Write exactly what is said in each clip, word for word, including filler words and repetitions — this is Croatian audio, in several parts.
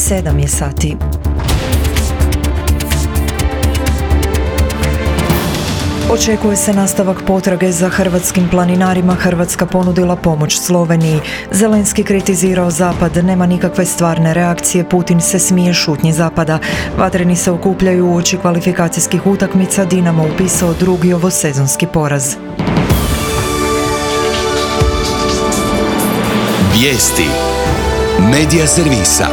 sedam je sati. Očekuje se nastavak potrage za hrvatskim planinarima. Hrvatska ponudila pomoć Sloveniji. Zelenski kritizirao Zapad, nema nikakve stvarne reakcije, Putin se smije šutnji Zapada. Vatreni se okupljaju uoči kvalifikacijskih utakmica, Dinamo upisao drugi ovosezonski poraz. Vijesti Medija servisa.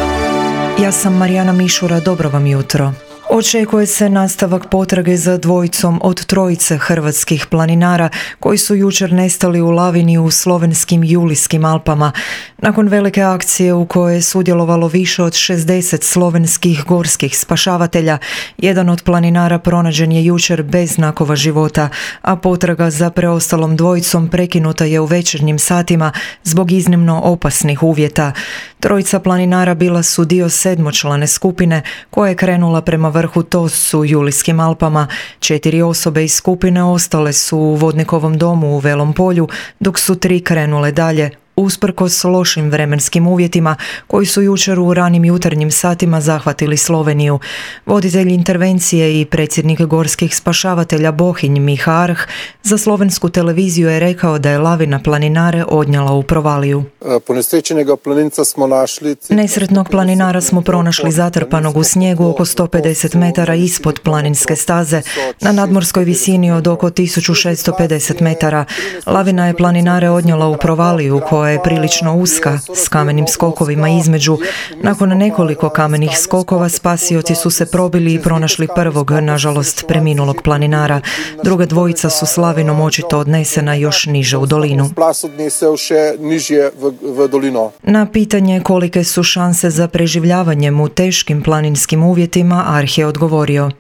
Ja sam Marijana Mišura, dobro vam jutro. Očekuje se nastavak potrage za dvojicom od trojice hrvatskih planinara koji su jučer nestali u lavini u slovenskim Julijskim Alpama. Nakon velike akcije u kojoj je sudjelovalo više od šezdeset slovenskih gorskih spašavatelja, jedan od planinara pronađen je jučer bez znakova života, a potraga za preostalom dvojicom prekinuta je u večernjim satima zbog iznimno opasnih uvjeta. Trojica planinara bila su dio sedmočlane skupine koja je krenula prema vrhu Tos u Julijskim Alpama. Četiri osobe iz skupine ostale su u Vodnikovom domu u Velom Polju, dok su tri krenule dalje, usprkos lošim vremenskim uvjetima koji su jučer u ranim jutarnjim satima zahvatili Sloveniju. Voditelj intervencije i predsjednik gorskih spašavatelja Bohinj Miha Arh za slovensku televiziju je rekao da je lavina planinare odnijela u provaliju. Nesretnog planinara smo pronašli zatrpanog u snijegu oko sto pedeset metara ispod planinske staze na nadmorskoj visini od oko tisuću šesto pedeset metara. Lavina je planinare odnijela u provaliju koja je prilično uska, s kamenim skokovima između. Nakon nekoliko kamenih skokova spasioci su se probili i pronašli prvog, nažalost preminulog planinara. Druga dvojica su s lavinom očito odnesena još niže u dolinu. Na pitanje kolike su šanse za preživljavanjem u teškim planinskim uvjetima, Arh je odgovorio: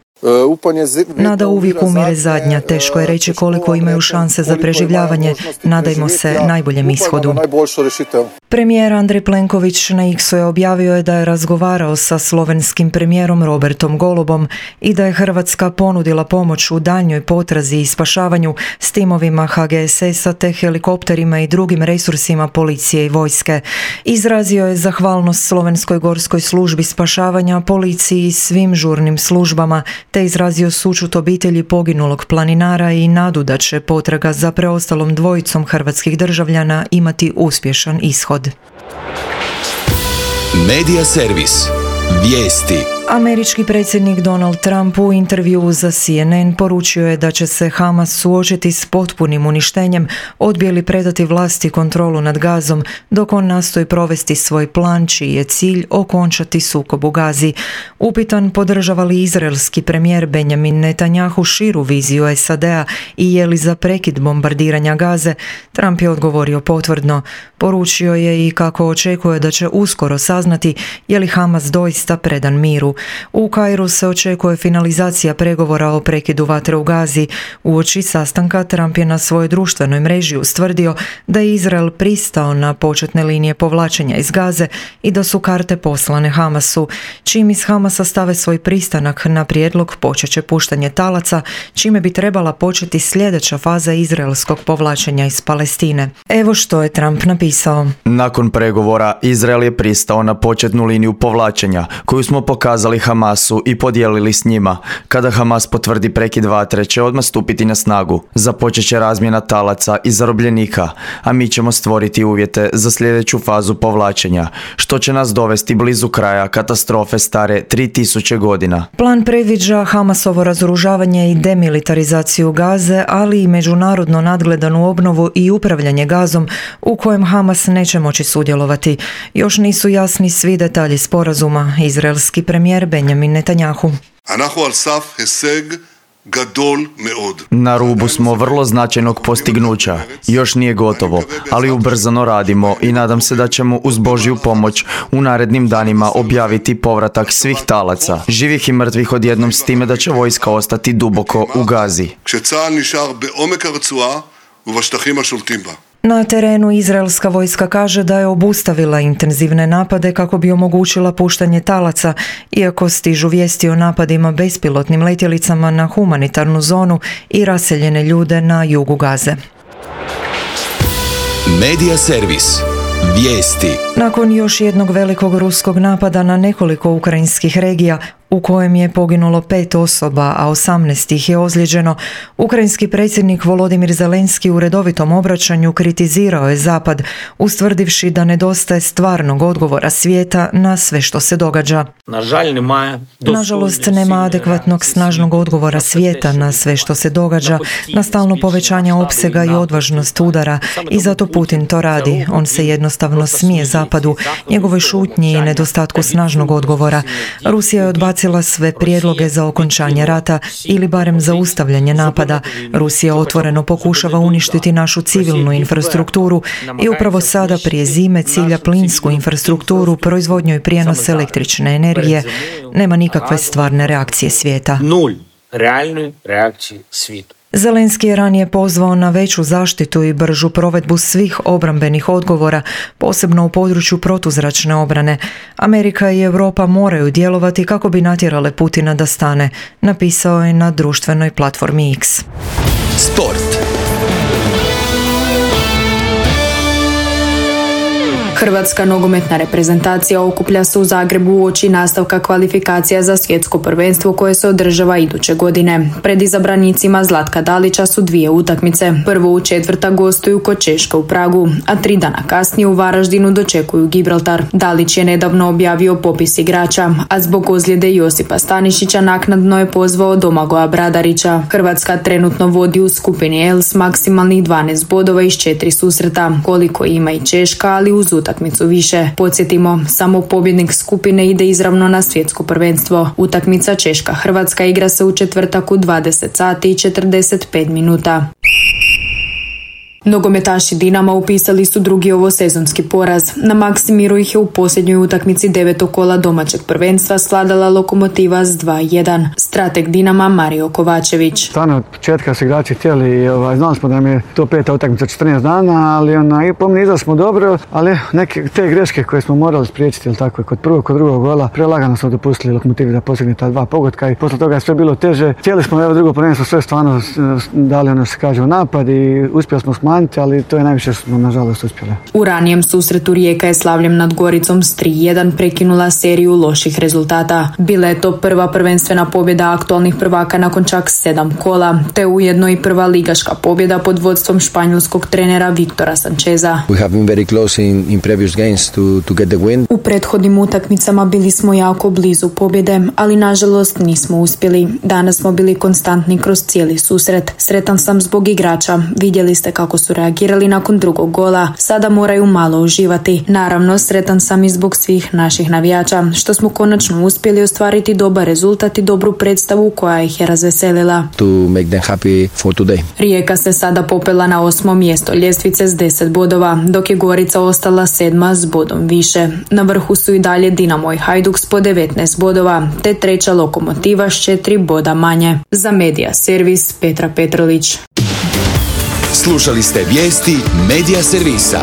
nada uvijek umire zadnja, teško je reći koliko imaju šanse za preživljavanje, nadajmo se najboljem ishodu. Premijer Andrej Plenković na X-u je objavio je da je razgovarao sa slovenskim premijerom Robertom Golobom i da je Hrvatska ponudila pomoć u daljnjoj potrazi i spašavanju s timovima H G S S-a te helikopterima i drugim resursima policije i vojske. Izrazio je zahvalnost Slovenskoj gorskoj službi spašavanja, policiji i svim žurnim službama, te izrazio sućut obitelji poginulog planinara i nadu da će potraga za preostalom dvojicom hrvatskih državljana imati uspješan ishod. Medija servis. Vijesti. Američki predsjednik Donald Trump u intervjuu za C N N poručio je da će se Hamas suočiti s potpunim uništenjem, odbije li predati vlasti kontrolu nad Gazom, dok on nastoji provesti svoj plan čiji je cilj okončati sukob u Gazi. Upitan podržava li izraelski premijer Benjamin Netanjahu širu viziju S A D-a i je li za prekid bombardiranja Gaze, Trump je odgovorio potvrdno. Poručio je i kako očekuje da će uskoro saznati je li Hamas doista predan miru. U Kairu se očekuje finalizacija pregovora o prekidu vatre u Gazi. Uoči sastanka Trump je na svojoj društvenoj mreži ustvrdio da je Izrael pristao na početne linije povlačenja iz Gaze i da su karte poslane Hamasu. Čim iz Hamasa stave svoj pristanak na prijedlog, počet će puštanje talaca, čime bi trebala početi sljedeća faza izraelskog povlačenja iz Palestine. Evo što je Trump napisao. Nakon pregovora Izrael je pristao na početnu liniju povlačenja koju smo pokazali Hamasu i podijelili s njima. Kada Hamas potvrdi prekid vatre će odmah stupiti na snagu. Započet će razmjena talaca i zarobljenika, a mi ćemo stvoriti uvjete za sljedeću fazu povlačenja, što će nas dovesti blizu kraja katastrofe stare tri tisuće godina. Plan predviđa Hamasovo razoružavanje i demilitarizaciju Gaze, ali i međunarodno nadgledanu obnovu i upravljanje Gazom u kojem Hamas neće moći sudjelovati. Još nisu jasni svi detalji sporazuma. Izraelski premijer Benjamin Netanjahu: na rubu smo vrlo značajnog postignuća. Još nije gotovo, ali ubrzano radimo i nadam se da ćemo uz Božju pomoć u narednim danima objaviti povratak svih talaca, živih i mrtvih odjednom, s time da će vojska ostati duboko u Gazi. Na terenu izraelska vojska kaže da je obustavila intenzivne napade kako bi omogućila puštanje talaca, iako stižu vijesti o napadima bespilotnim letjelicama na humanitarnu zonu i raseljene ljude na jugu Gaze. Medija servis. Vijesti. Nakon još jednog velikog ruskog napada na nekoliko ukrajinskih regija, u kojem je poginulo pet osoba, a osamnaest ih je ozlijeđeno, ukrajinski predsjednik Volodimir Zelenski u redovitom obraćanju kritizirao je Zapad, ustvrdivši da nedostaje stvarnog odgovora svijeta na sve što se događa. Nažalost, nema adekvatnog snažnog odgovora svijeta na sve što se događa, na stalno povećanje opsega i odvažnost udara, i zato Putin to radi. On se jednostavno smije Zapadu, njegovoj šutnji i nedostatku snažnog odgovora. Rusija je odbacila sve prijedloge za okončanje rata ili barem zaustavljanje napada. Rusija otvoreno pokušava uništiti našu civilnu infrastrukturu i upravo sada prije zime cilja plinsku infrastrukturu, proizvodnju i prijenos električne energije. Nema nikakve stvarne reakcije svijeta. Nul realne reakcije svijetu. Zelenski je ranije pozvao na veću zaštitu i bržu provedbu svih obrambenih odgovora, posebno u području protuzračne obrane. Amerika i Europa moraju djelovati kako bi natjerale Putina da stane, napisao je na društvenoj platformi X. Sport. Hrvatska nogometna reprezentacija okuplja se u Zagrebu uoči nastavka kvalifikacija za svjetsko prvenstvo koje se održava iduće godine. Pred izabranicima Zlatka Dalića su dvije utakmice. Prvo u četvrta gostuju kod Češke u Pragu, a tri dana kasnije u Varaždinu dočekuju Gibraltar. Dalić je nedavno objavio popis igrača, a zbog ozljede Josipa Stanišića naknadno je pozvao Domagoja Bradarića. Hrvatska trenutno vodi u skupini L s maksimalnih dvanaest bodova iz četiri susreta, koliko ima i Češka, ali uz utakmicu više. Podsjetimo, samo pobjednik skupine ide izravno na svjetsko prvenstvo. Utakmica Češka-Hrvatska igra se u četvrtak u dvadeset sati i četrdeset pet minuta. Nogometaši Dinama upisali su drugi ovosezonski poraz. Na Maksimiru ih je u posljednjoj utakmici devetog kola domaćeg prvenstva svladala Lokomotiva s dva jedan. Strateg Dinama Mario Kovačević. Stvarno od početka su igrači htjeli i ovaj, znali smo da nam je to peta utakmica četrnaest dana, ali ona, i pomeni smo dobro, ali neke te greške koje smo morali spriječiti, ili tako, kod prvog, kod drugog gola, prelagano smo dopustili Lokomotivi da postigne ta dva pogotka i posle toga je sve bilo teže. Htjeli smo evo drugo prvenstvo sve stvarno dali ono što se kaže u napad i uspjeli smo smanjiti, ali to je najviše što smo nažalost uspjeli. U ranijem susretu Rijeka je slavljem nad Goricom s tri jedan prekinula seriju loših rezultata. Bila je to prva prvenstvena pobjeda aktualnih prvaka nakon čak sedam kola, te ujedno i prva ligaška pobjeda pod vodstvom španjolskog trenera Viktora Sancheza. We have been very close in, in previous games to, to get the win. U prethodnim utakmicama bili smo jako blizu pobjede, ali nažalost nismo uspjeli. Danas smo bili konstantni kroz cijeli susret. Sretan sam zbog igrača. Vidjeli ste kako su reagirali nakon drugog gola. Sada moraju malo uživati. Naravno, sretan sam i zbog svih naših navijača, što smo konačno uspjeli ostvariti dobar rezultat i dobru predstavu koja ih je razveselila. To make them happy for today. Rijeka se sada popela na osmo mjesto ljestvice s deset bodova, dok je Gorica ostala sedma s bodom više. Na vrhu su i dalje Dinamo i Hajduk s po devetnaest bodova, te treća Lokomotiva s četiri boda manje. Za Medija servis Petra Petrlić. Slušali ste vijesti Medija servisa.